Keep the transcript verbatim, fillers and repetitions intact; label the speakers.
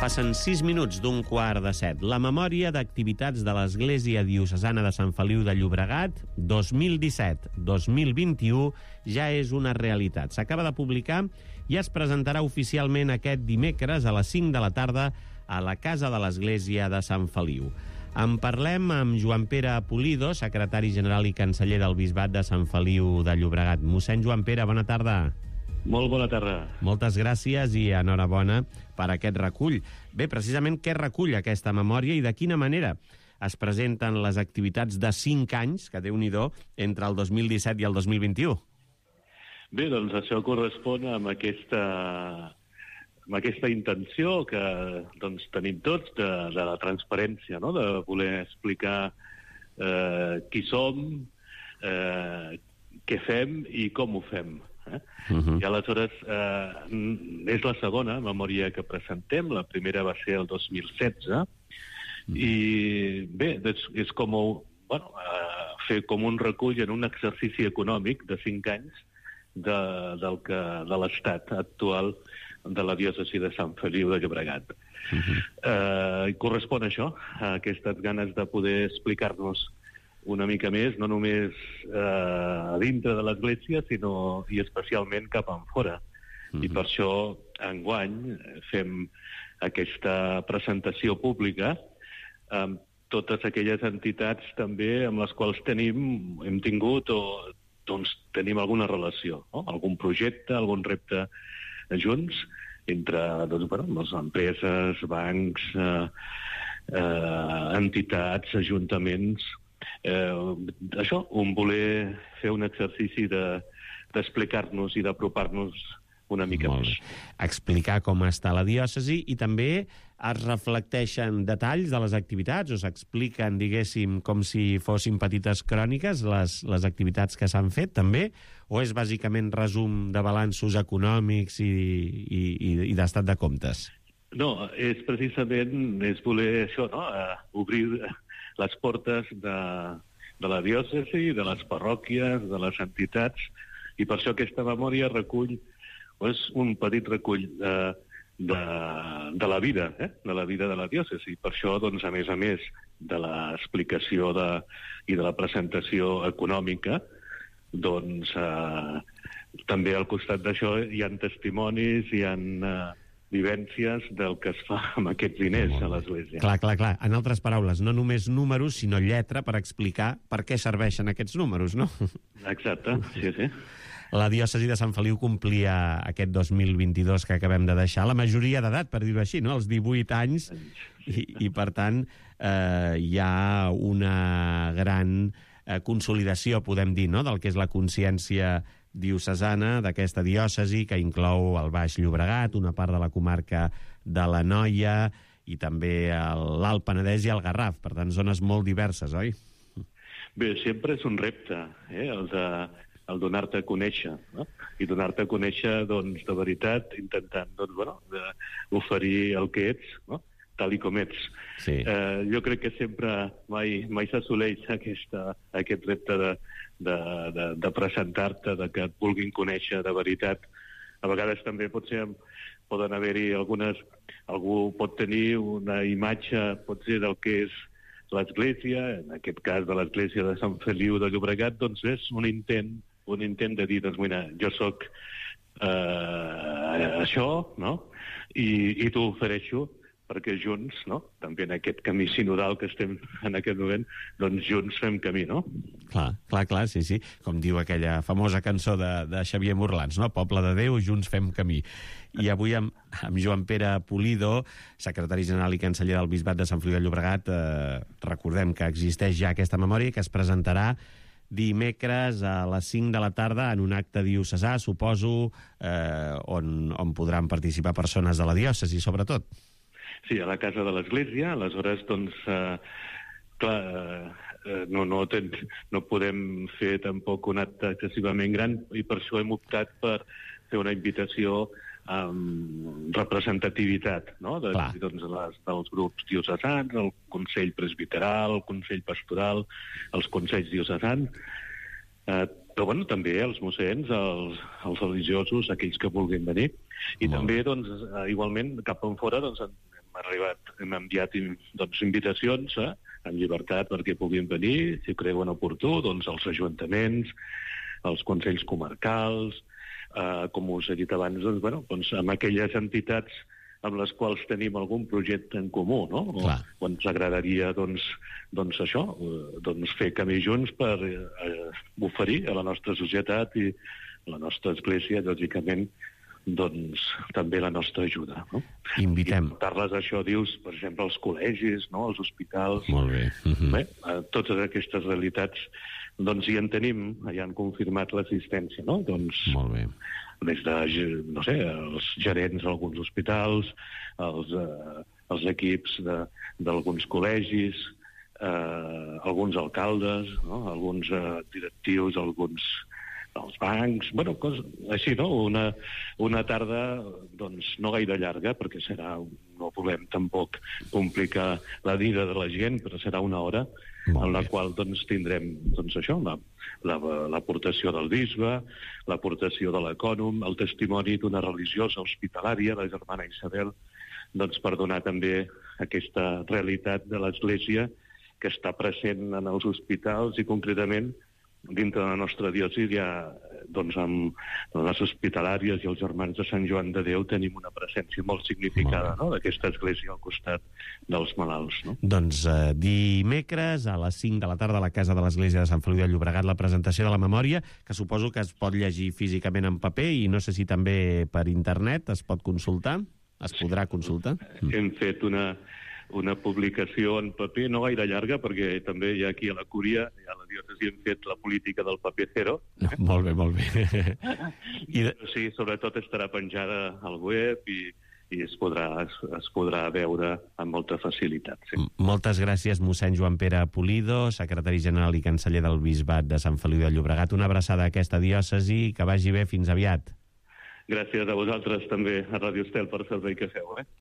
Speaker 1: Passen sis minuts d'un quart de set. La memòria d'activitats de l'Església Diocesana de Sant Feliu de Llobregat dos mil disset dos mil vint-i-u ja és una realitat. S'acaba de publicar i es presentarà oficialment aquest dimecres a les cinc de la tarda a la Casa de l'Església de Sant Feliu. En parlem amb Joan Pere Pulido, secretari general i canceller del Bisbat de Sant Feliu de Llobregat. Mossèn Joan Pere, bona tarda.
Speaker 2: Molt bona tarda.
Speaker 1: Moltes gràcies i enhorabona per aquest recull. Bé, precisament què recull aquesta memòria i de quina manera es presenten les activitats de cinc anys, que Déu-n'hi-do, entre el dos mil disset i el dos mil vint-i-u?
Speaker 2: Bé, doncs això correspon amb aquesta, amb aquesta intenció que doncs, tenim tots de, de la transparència, no? De voler explicar eh, qui som, eh, què fem i com ho fem. Eh? Uh-huh. I aleshores eh, és la segona memòria que presentem. La primera va ser el dos mil setze. Uh-huh. I bé, és, és com bueno, eh, fer com un recull en un exercici econòmic de cinc anys de, del que, de l'estat actual de la diòcesi de Sant Feliu de Llobregat. Uh-huh. eh, correspon a això, a aquestes ganes de poder explicar-nos una mica més, no només eh, a dintre de l'Església, sinó i especialment cap enfora. Mm-hmm. I per això, enguany, fem aquesta presentació pública amb totes aquelles entitats també amb les quals tenim, hem tingut o doncs, tenim alguna relació, no? Algun projecte, algun repte junts, entre doncs, bueno, les empreses, bancs, eh, eh, entitats, ajuntaments. Eh, això, un voler fer un exercici de, d'explicar-nos i d'apropar-nos una mica
Speaker 1: Molt
Speaker 2: més.
Speaker 1: Bé. Explicar com està la diòcesi i també es reflecteixen detalls de les activitats o s'expliquen, diguéssim, com si fossin petites cròniques les, les activitats que s'han fet també, o és bàsicament resum de balanços econòmics i, i, i, i d'estat de comptes?
Speaker 2: No, és precisament és voler això, no? Uh, obrir les portes de, de la diòcesi, de les parròquies, de les entitats, i per això aquesta memòria recull és un petit recull de, de, de la vida, eh? de la vida de la diòcesi. Per això, doncs, a més a més de l'explicació de, i de la presentació econòmica, doncs eh, també al costat d'això hi ha testimonis, hi ha eh, vivències del que es fa amb aquests diners a l'Església.
Speaker 1: Clar, clar, clar. En altres paraules, no només números, sinó lletra per explicar per què serveixen aquests números, no?
Speaker 2: Exacte, sí, sí.
Speaker 1: La diòcesi de Sant Feliu complia aquest dos mil vint-i-dos que acabem de deixar la majoria d'edat, per dir-ho així, no? Els divuit anys, i, i per tant eh, hi ha una gran eh, consolidació, podem dir, no?, del que és la consciència diocesana d'aquesta diòcesi, que inclou el Baix Llobregat, una part de la comarca de l'Anoia i també l'Alt Penedès i el Garraf. Per tant, zones molt diverses, oi?
Speaker 2: Bé, sempre és un repte, eh, el de el donar-te a conèixer, no? I donar-te a conèixer, doncs, de veritat, intentant, doncs, bueno, de oferir el que ets, no?, tal i com ets.
Speaker 1: Sí.
Speaker 2: Eh, jo crec que sempre mai, mai s'assoleix aquesta, aquest repte de, de, de, de presentar-te, de que et vulguin conèixer de veritat. A vegades també potser poden haver-hi algunes... Algú pot tenir una imatge, potser, del que és l'Església, en aquest cas de l'Església de Sant Feliu de Llobregat, doncs és un intent un intent de dir, doncs, mira, jo sóc eh, això, no? I, i t'ho ofereixo perquè junts, no?, també en aquest camí sinodal que estem en aquest moment, doncs junts fem camí, no?
Speaker 1: Clar, clar, clar, sí, sí. Com diu aquella famosa cançó de, de Xavier Morlans, no? Poble de Déu, junts fem camí. I avui amb, amb Joan Pere Pulido, secretari general i canceller del Bisbat de Sant Feliu de Llobregat, eh, recordem que existeix ja aquesta memòria i que es presentarà dimecres a les cinc de la tarda en un acte diocesà, suposo, eh, on, on podran participar persones de la diòcesi, sobretot.
Speaker 2: Sí, a la Casa de l'Església. Aleshores, doncs, eh, clar, eh, no, no, ten, no podem fer tampoc un acte excessivament gran i per això hem optat per fer una invitació amb representativitat, no?, de, doncs, les, dels grups diocesans, el Consell Presbiteral, el Consell Pastoral, els Consells Diocesans, eh, però bueno, també els mossens, els, els religiosos, aquells que vulguin venir, i Molt també, doncs, igualment, cap en fora, doncs, hem arribat, hem enviat doncs, invitacions eh, en llibertat perquè puguin venir, si creuen oportú, doncs els ajuntaments, els consells comarcals, eh, com us he dit abans, doncs, bueno, doncs, amb aquelles entitats amb les quals tenim algun projecte en comú, no? O, o ens agradaria, doncs, doncs això, doncs fer camí junts per eh, oferir a la nostra societat i a la nostra església, lògicament, doncs, també la nostra ajuda, no?
Speaker 1: Invitem.
Speaker 2: I portar-les, això dius, per exemple, als col·legis, no? Als hospitals.
Speaker 1: Molt bé. Uh-huh.
Speaker 2: Bé, totes aquestes realitats, doncs, hi en tenim, ja han confirmat l'assistència, no? Doncs,
Speaker 1: molt bé.
Speaker 2: Des de, no sé, els gerents d'alguns hospitals, els, eh, els equips d'alguns col·legis, eh, alguns alcaldes, no? Alguns eh, directius, alguns dels bancs, bueno, cos, així, no? Una, una tarda, doncs, no gaire llarga, perquè serà, no volem tampoc complicar la vida de la gent, però serà una hora en la qual doncs, tindrem doncs, això, l'aportació la, la, del bisbe, l'aportació de l'ecònom, el testimoni d'una religiosa hospitalària, la germana Isabel, doncs, per donar també aquesta realitat de l'Església que està present en els hospitals i concretament dintre de la nostra diòcesi ja, doncs, amb les hospitalàries i els germans de Sant Joan de Déu tenim una presència molt significada, no?, d'aquesta església al costat dels malalts, no?
Speaker 1: Doncs eh, dimecres a les cinc de la tarda a la Casa de l'Església de Sant Feliu de Llobregat la presentació de la memòria, que suposo que es pot llegir físicament en paper i no sé si també per internet es pot consultar, es podrà consultar.
Speaker 2: Hem fet una... una publicació en paper, no gaire llarga, perquè també hi ha aquí a la Cúria, i a la diòcesi hem fet la política del paper zero.
Speaker 1: No, molt bé, molt bé.
Speaker 2: I de... Sí, sobretot estarà penjada al web i, i es, podrà, es, es podrà veure amb molta facilitat. Sí.
Speaker 1: Moltes gràcies, mossèn Joan Pere Pulido, secretari general i canceller del Bisbat de Sant Feliu de Llobregat. Una abraçada a aquesta diòcesi, que vagi bé, fins aviat.
Speaker 2: Gràcies a vosaltres també, a Radio Estel, per el servei que feu. Eh?